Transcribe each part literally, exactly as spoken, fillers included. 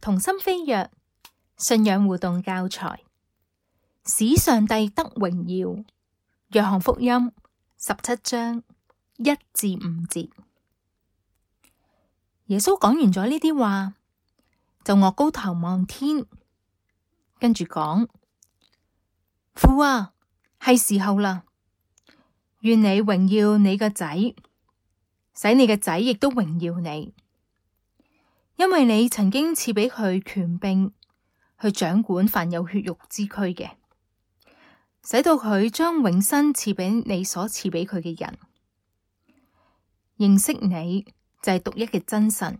同心飛躍信仰互動教材，使上帝得榮耀。約翰福音十七章一至五節。耶穌講完咗呢啲話，就岳高頭望天，跟住講：父啊，係時候啦，願你榮耀你個仔，使你嘅仔亦都榮耀你，因為你曾經賜俾佢權柄去掌管凡有血肉之軀嘅，使到佢將永生賜俾你所賜俾佢嘅人。認識你就係獨一嘅真神，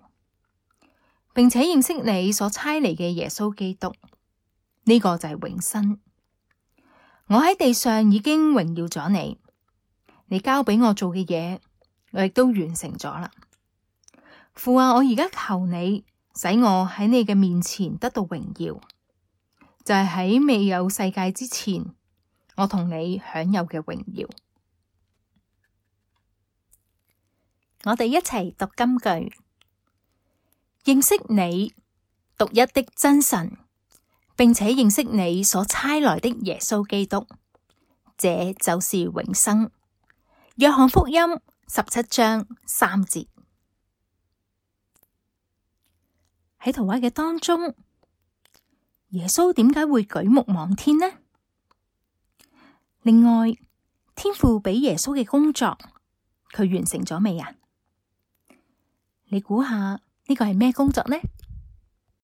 並且認識你所差嚟嘅耶穌基督，呢個就係永生。我喺地上已經榮耀咗你，你交俾我做嘅嘢，我亦都完成咗啦。父啊，我而家求你，使我喺你嘅面前得到榮耀，就係喺未有世界之前，我同你享有嘅榮耀。我哋一齊讀金句：認識你獨一的真神，並且認識你所差來的耶穌基督，這就是永生。約翰福音十七章三節。喺圖畫嘅當中，耶穌點解會舉目望天呢？另外，天父俾耶穌嘅工作，佢完成咗未啊？你估下呢個係咩工作呢？